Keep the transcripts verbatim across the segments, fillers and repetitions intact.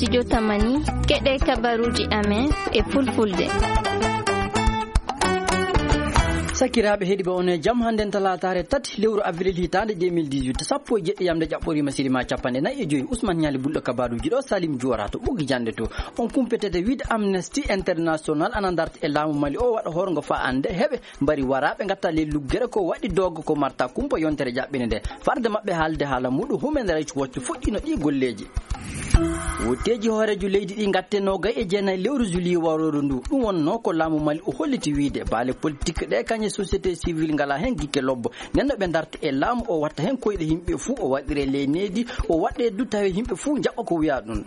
Studio Tamani, keɗe kabaruuji amen e fulfulde. Sakiraaɓe heɗiiɓe, on e jam. Hannden talaataare tati lewru avril hitaande deux mille dix-huit, sappo e jeɗɗi yamde ƴaɓɓoriima sirima capanɗe nayi e joyi. Ousmane Ñaali Bulɗo kabaruuji ɗo, Salim Juwara to ɓoggi jannde to. On kumpeteede wiide Amnesty International ana darta e laamu Mali o waɗa horgo faa annde heɓe mbari waraaɓe ngatta ley luggere ko waɗi doogo ko marta kumpa yontere ƴaɓɓinde nde. Farde maɓɓe haalde haala muɗum, Human Rights Watch fuɗɗiino ɗii golleeji. Wotteeji hooreejo leydi ɗi ngatte noogay e jeenayi lewru juillet warooru ndu. Ɗum wonnoo ko laamu Mali o holliti wiide baale politik ɗe kañe société civile ngalaa heen gikke lobbo. Nden no ɓe ndarta e laamu o watta heen koyɗe yimɓe fuu, o waɗire ley needi, o waɗe du tawe yimɓe fuu njaɓa ko wiyaa ɗum.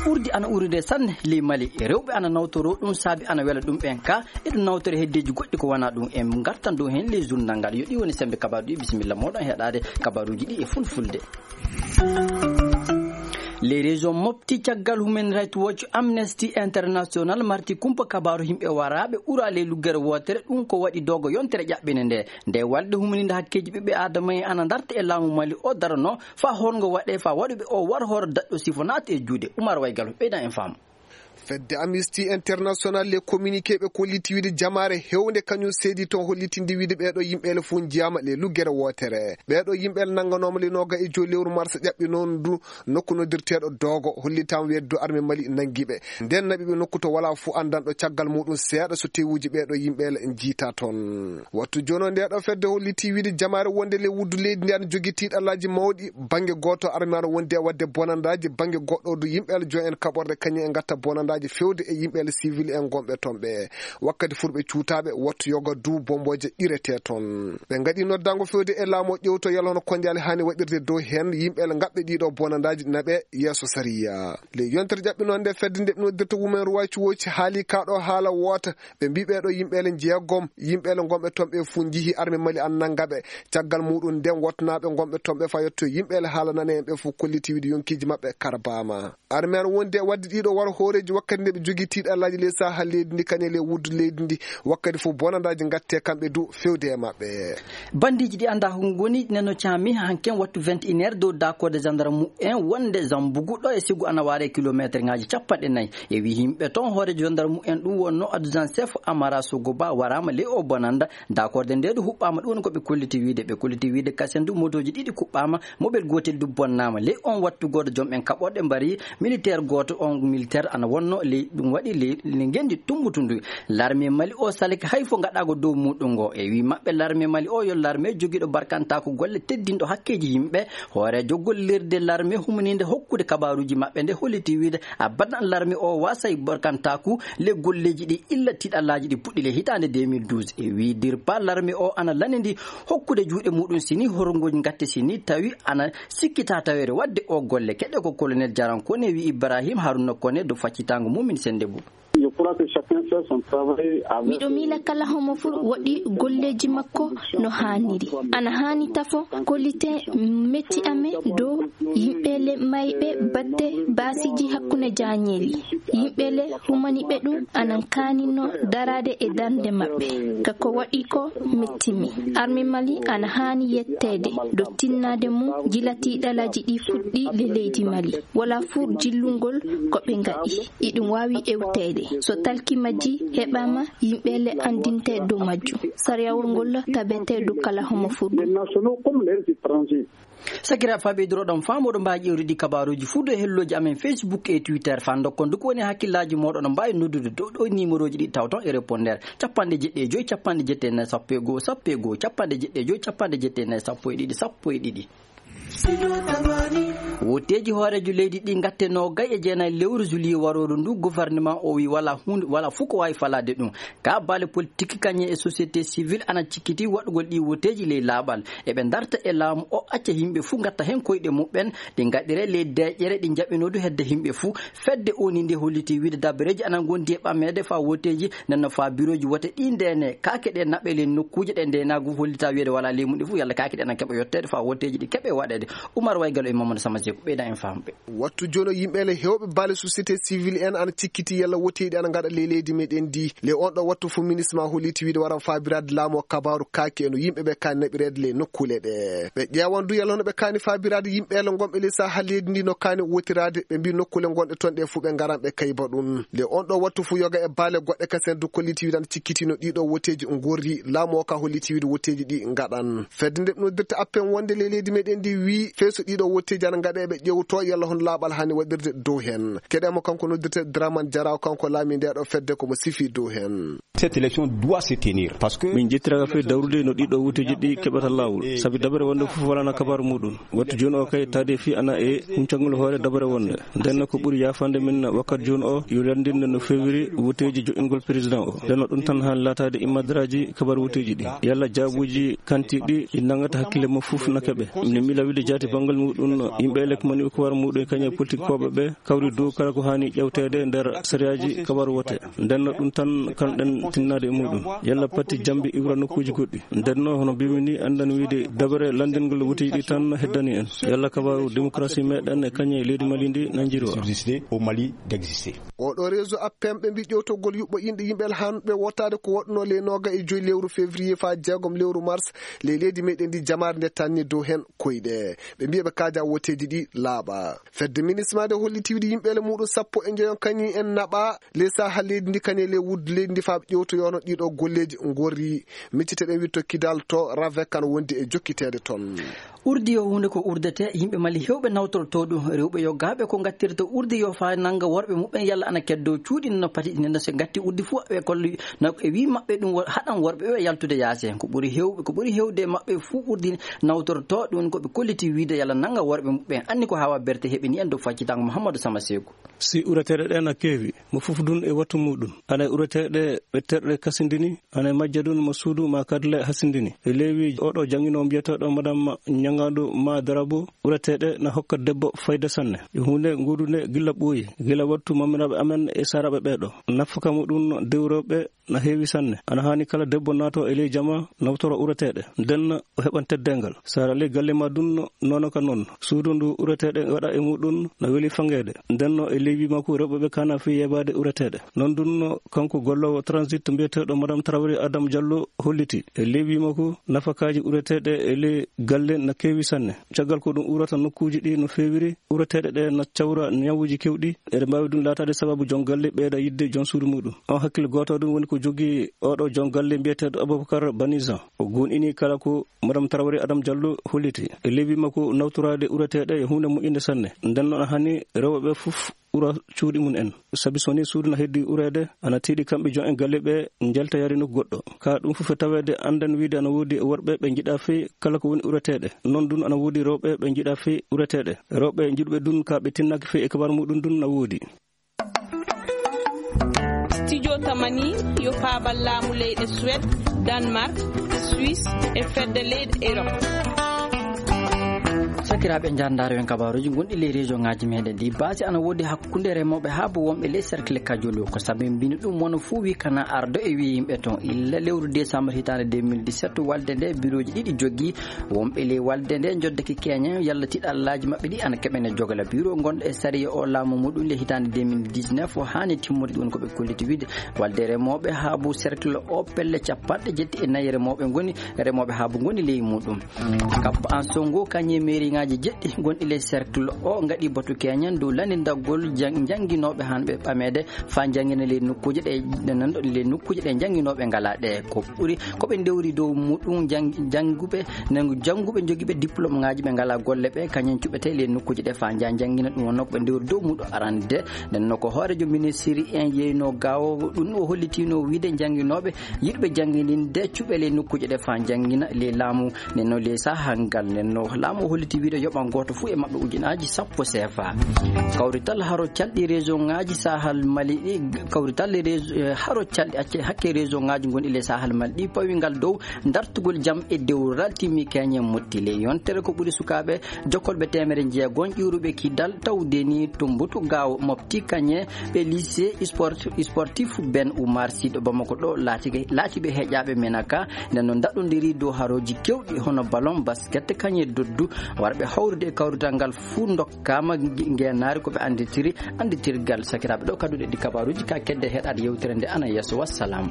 Urdi ana urude sanne ley Mali. Rewɓe ana nawtoroo ɗum, saabi ana wela ɗum ɓen ka. Eɗum nawtore heddeeji goɗɗi ko wanaa ɗum. En ngartan dow heen ley journal ngal. Yo ɗi woni semmbe kabaaru ɗi. Bisimilla mooɗon heɗaade kabaaruuji ɗi e fulfulde. Ley région Mopti, caggal Human Rights Watch, Amnesty International marti kumpa kabaaru yimɓe waraaɓe ura ley luggere wootere, ɗum ko waɗi doogo yontere ƴaɓɓinde nde. Nde walde humaninde hakkeeji ɓiɓɓe Aadama en ana ndarta e laamu Mali o darano faa horgo waɗe faa waɗuɓe o war hoore daɗɗo sifo naata e juuɗe. Umar Waygal ɓeydan en faamu. Fedde Amnesty International le communiqué ɓe kolliti wiide jamaare hewnde kañum seedi toon hollitinde wiide ɓeeɗo yimɓeele fof njiyaama le luggere wootere. Ɓeeɗo yimɓeele nannganooma le nooga e joyi lewru mars ƴaɓɓi noon ndu nokku noddirteeɗo Doogo, hollitaama weedu arme Mali nanngi ɓe. Nden naɓi ɓe nokku to walaa fof anndanɗo caggal muɗum seeɗa so tewuuji ɓeeɗo yimɓeele njiita toon. Wattu jooni o ndeeɗo fedde holliti wiide jamaare wonde le wuddu leydi ndi ana jogii tiiɗallaaji mawɗi. Bannge gooto arme ana wondi e waɗde bonandaaji, bannge goɗɗo du yimɓeele joom en kaɓorɗe kañum en ngatta bonandaaji fewde e yimɓeele civil en gonɓe toon ɓe. Wakkati furɓe cuutaaɓe wattu yoga du bombooje ɗirete toon. Ɓe ngaɗi noddaango fewde e laamu o ƴewto yalla hono konjaali haani waɗirde dow heen yimɓeele ngaɓɓe ɗiɗo bonandaaji naɓe yeeso sariya. Ley yontere ƴaɓɓi noon nde fedde nde ɓe noddirta Women Rights Watch haali kaa ɗo haala woota. Ɓe mbii ɓeeɗo yimɓeele jeegom, yimɓeele gonɓe toon ɓe fof njihii arme Mali an nannga ɓe. Caggal muɗum nden wottanaaɓe gonɓe toon ɓe faa yetto yimɓeele haala nane en ɓe fof kolliti wiide yonkiiji maɓɓe karbaama. Arme an wondi e waɗde ɗiɗo war hooreeji wakkati nde ɓe jogii tiiɗallaaji ley saha leydi ndi kañe ley wuddu leydi ndi wakkati fof bonandaaji ngatte kamɓe du fewde e maɓɓe. Bandiiji ɗi anndaa ko ngoni neno caami hanken wattu vingt et une heures dow daakorde gendarme en wonde Zambugu ɗo e sigu ana waare kilometre ŋaaji capanɗe nayi. E wi yimɓe toon hooreejo gendarme en ɗum wonno adjudant chef Amara Sogoba waraama ley o bonanda. Daakorde nde du huɓɓaama ɗum woni ko ɓe kolliti wiide. Ɓe kolliti wiide kasen du motooji ɗiɗi kuɓɓaama, mobel gootel du bonnaama. Ley on wattu gooto joom en kaɓorɗe mbari militaire gooto, on militaire ana wonno ley ɗum waɗi ley, ley ngenndi tumbutundu. Larme Mali o salake hay fo ngaɗaago dow muɗum ngo. E wi maɓɓe larme Mali o yo larme jogiiɗo barkantaaku golle teddinɗo hakkeeji yimɓe. Hooreejo gollirde larme humaniinde hokkude kabaaruuji maɓɓe nde holliti wiide abadan larme o waasay barkantaaku le golleeji ɗi illa tiiɗallaaji ɗi puɗɗi le hitaande deux mille douze. E wi dirpa larme o ana lanindi hokkude juuɗe muɗum sini horngooji ngatte sini tawi ana sikkita taweede waɗde o golle. Keɗe ko colonel Jaran Kone wi Ibrahim Haruna Kone do faccitaango mumin sende bu. Miɗo miila kala homo fuu waɗi golleeji makko no haaniri. Ana haani tafo kollite metti amen dow yimɓe le mayɓe batte baasiji hakkunde jaañeeli. Yimɓe le humaniɓe ɗum anan kaanino daraade e darnde maɓɓe. Ka ko waɗi ko mettimi. Arme Mali ana haani yetteede do tinnaade mum jilati ɗalaji ɗi fuɗɗi le leydi Mali. Wala fuu jillungol ko ɓe ngaɗi. Iɗum waawi ewteede. So talki majji heɓaama, yimɓe le anndinte dow majjum. Sariyawol ngol tabete dow kala homo fuu. Sakiraaɓe, faa ɓeydiroɗon faamu, oɗon mbaawi ƴeewde ɗi kabaaruuji fuu dow e hellooji amen Facebook e Twitter. Faa ndokkon du ko woni e hakkillaaji mooɗon, oɗon mbaawi noddude dow ɗo e niimorooji ɗi tawton e répondeur. Capanɗe jeɗɗi e joy, capanɗe jeɗɗi e nayi, sappo e goo, sappo e goo, capanɗe jeɗɗi e joy, capanɗe jeɗɗi e nayi, sappo e ɗiɗi, sappo e ɗiɗi. Wotteeji hooreejo leydi ɗi ngatte noogay e jeenayi lewru juillet warooru ndu, gouvernement o wi wala huunde, wala fuu ko waawi falaade ɗum. Ka baale politik kañe e société civile ana cikkiti waɗugol ɗi woteeji ley laaɓal. Eɓe ndarta e laamu o acca yimɓe fuu ngatta heen koyɗe muɓɓen, ɗi ngaɗire ley deeƴere ɗi njaɓinoo du hedde yimɓe fuu. Fedde O N U nde holliti wiide dabareeji ana ngondi e ɓameede faa woteeji, nden no faa birooji wote ɗi ndeene. Kaake ɗe naɓe ley nokkuuje ɗe ndeenaagu hollita wiyeede walaa ley mum ɗi fuu, yalla kaake ɗe ana keɓa yetteede faa woteeji ɗi keɓe waɗeede. Umar Waygal e Mamadou Sama Ɓeyda en famɓe. Wattu jooni o, yimɓe le heewɓe baale société civile en ana cikkiti yalla woteeji ana ngaɗa ley leydi meɗen ndi. Le on ɗo wattu fof ministre ma holliti wiide waran faabiraade laamu o kabaaru kaake e no yimɓe ɓe kaani naɓireede ley nokkuule ɗe. Ɓe ƴeewan du yalla hono ɓe kaani faabiraade yimɓe le ngonɓe ley saha leydi ndi no kaani wotiraade. Ɓe mbi nokkuule ngonɗe toon ɗe fof ɓe ngaran ɓe kayba ɗum. Le on ɗo wattu fof yoga e baale goɗɗe kasen du kolliti wiide ana cikkitino ɗiɗo woteeji ngorri laamu o ka holliti wiide woteeji ɗi ngaɗan. Fedde nde noddirta appen wonde ley leydi meɗen ndi wi fee so ɗiɗo woteeji ana ngaɗe ɓe ƴewto yalla hono laaɓal hani waɗirde dow hen. Keɗe mo kanko noddirta Draman Jaraw, kanko laami nde ɗo fedde ko mo sifi dow hen. Cette élection doit se tenir parce que min ƴettiraka fee dawrude no ɗiɗo woteeji ɗi keɓata laawol, sabi dabere wonde fof walana kabaru muɗum. Wattu jooni o kay taade fii ana e huncangol hoore dabere wonde. Nden ko ɓuri yaafande min wakkati jooni o yo lanndinde no feewiri woteeji joƴƴingol président o. Nden ɗum tan haani laataade immadaraaji kabaru woteeji ɗi. Yalla jaabuuji kanti ɗi ɗi nanngata hakkille mo fof na keɓe. Min miila wiide jaati banngal muɗum yimɓe élecmani ko war muɗum e kañe politikooɓe ɓe kawri dow kala ko haani ƴewteede nder sariyaaji kabaru wote. Nden ɗum tan kanɗen tinnaade e muɗum. Yalla patti jambi iwra nokkuuji goɗɗi. Nden no hono mbimi ni anndan wiide dabere lanndingol woteeji ɗi tan heddani en. Yalla kabaru démocratie meɗen e kañe leydi Mali ndi nanjiri o. Subsister au Mali d'exister. Oɗo réseau appem ɓe mbi ƴewtogol yuɓɓo inɗe yimɓe hanɓe wotaade ko waɗno ley nooga e joyi lewru février faa jeegom lewru mars ley leydi meɗen ndi jamaare nde tanni dow hen koyɗe. Ɓe mbiya ɓe kaaja woteeji ɗi laaɓa. Fedde ministre ma nde holliti wiide yimɓe le muɗum sappo e njoyon kañi en naɓa ley saha leydi ndi kañe ley wuddu leydi ndi faa ɓe ƴewtoyono ɗiɗo golleeji ngorri. Miccite ɗen witto kidal to ravek kan wondi e jokkiteede toon. Urdi yo huunde ko urdete, yimɓe Mali heewɓe nawtorto ɗum, rewɓe yo gaaɓe ko ngattirta urdi yo faa nannga worɓe muɓɓen yalla ana keddo cuuɗi no pati ɗi no se ngatti urdi fof ɓe kolli no e wi maɓɓe ɗum wo- haɗan worɓe ɓe yaltude yaasi. Ko ɓuri heewɓe, ko ɓuri heewde e maɓɓe fof urdi nawtorto ɗum ko ɓe kolliti wiide yalla nannga worɓe muɓɓen anni ko hawa berte heɓini en dow faccitango Mouhamadou Sama Seeku. Si ureteeɗe ɗe na keewi, mo fof dun e wattu muɗum. Ana e ureteeɗe ɓe terɗe kasindini, ana e majja dun mo suudu ma kadle hasindini. E leewi oɗo jangino mbiyeteeɗo madame Ñangandu ma Darabu, ureteeɗe na hokka debbo fayda sanne. E huunde nguudu nde gilla ɓooyi, gila wattu mamiraaɓe amen e saaraaɓe ɓeeɗo. Nafaka muɗum dewrooɓe na heewi sanne. Ana haani kala debbo naato e ley jama nawtoro ureteeɗe. Nden o heɓan teddeengal. Sara ley galle ma dun nono ka non. Suudu ndu ureteeɗe waɗa e muɗum na weli fangeede. Nden no e ley wi makko rewɓe ɓe kana fii yebaade ureteeɗe. Non dun no kanko gollowo transit mbiyeteeɗo Madame Traoré Adam Diallo holliti. E ley wi makko nafakaaji ureteeɗe e ley galle na keewi sanne. Caggal ko ɗum urata nokkuuji ɗi no feewiri, ureteeɗe ɗe na cawra ñawuuji kewɗi. Eɗe mbaawi ɗum laataade sababu jon galle ɓeyda yiɗde jon suudu muɗum. On hakkille gooto ɗum woni ko jogii oɗo jon galle mbiyeteeɗo Aboubacar Banizan. O goonɗini kala ko Madame Traoré Adam Diallo holliti. E lewi makko nawtoraade ureteeɗe e huunde moƴƴinde sanne. Nden noon hani rewɓe fof ura cuuɗi mum en. Sabi so ni suudu na heddi ureede, ana tiiɗi kamɓe jon en galle ɓe njalta yaade nokku goɗɗo. Ka ɗum fof e taweede anndan wiide ana woodi e worɓe ɓe njiɗa fii kala ko woni ureteeɗe. Noon ɗum ana woodi rewɓe ɓe njiɗa fii ureteeɗe. Rewɓe njiɗuɓe ɗum ka ɓe tinnaaki fii e kabar muɗum ɗum na woodi. Studio Tamani yo faabal laamu leyɗe Suède, Danemark, Suisse e fedde leyɗe Europe. Sakiraaɓe, njaarndaaro en kabaaruuji gonɗi ley région ŋaaji meɗen ɗi. Baasi ana woodi hakkunde remooɓe haa bo wonɓe ley cercle Kajolu. Ko sabi mbino ɗum wona fuu wi kana ardo e wi yimɓe toon. Illa lewru décembre hitaande deux mille dix-sept, walde nde birooji ɗiɗi jogii. Wonɓe ley walde nde njoddake keeñen yalla tiɗallaaji maɓɓe ɗi ana keɓene jogala. Biro gonɗo e sariya o laamu muɗum le hitaande deux mille dix-neuf o haani timmude, ɗum woni ko ɓe kolliti wiide. Walde remooɓe haabu cercle o pelle capanɗe jetti e nayi remooɓe ngoni, remooɓe haabu ngoni ley muɗum. Kabba an songo kañe mairie ŋaaji jeɗɗi gonɗi ley cercle o ngaɗi batu keeñen dow lanndindagol jan- jannginooɓe hanɓe ɓameede faa njanngina ley nokkuuje ɗe, ɗe nan ɗo ley nokkuuje ɗe njannginooɓe ngalaa ɗe. Ko ɓuri ko ɓe ndewri dow muɗum jang- jannguɓe, nangu jannguɓe njogiiɓe diplôme ŋaaji ɓe ngalaa golle ɓe, kañum cuɓetee ley nokkuuje ɗe faa njaha njanngina. Ɗum wonnoo ko ɓe ndewri dow muɗum arande. Nden no ko hooreejo ministiri en yeynoo gaawo ɗum o hollitiinoo wiide njannginooɓe yiɗɓe jannginde cuɓe ley nokkuuje ɗe faa njanngina ley laamu. Nden no ley sahaa ngal, nden no laamu o holliti wiide yoɓan gooto fuu e maɓɓe ujunaaji sappo C F A. Kawrital haro calɗi région ŋaaji Sahel Mali ɗi, kawrital région, eh, haro calɗi acce hakke région ŋaaji gonɗi ley Sahel Mali ɗi pawi ngal dow dartugol jam e dewral timmi keñe motti ley yontere ko ɓuri sukaaɓe jokkolɓe teemere jeegom ƴuuruɓe kidal tawde ni Tumbutu Gaawo Mopti kañe ɓe lycée sport-, sportif Ben Oumar Sy ɗo Bamako ɗo laatike-, laatiɓe heƴaaɓe menaka. Nden no ndaɗondiri dow harooji kewɗi hono ballon, basket, kañe doddu, Ɓe hawrude e kawrital ngal fuu ndokkaama ngeenaari ko ɓe annditiri annditirgal. Sakiraaɓe, ɗo kadduɗe ɗi kabaaruuji ka kedde heɗaade yewtere nde ana yeeso. Wassalam.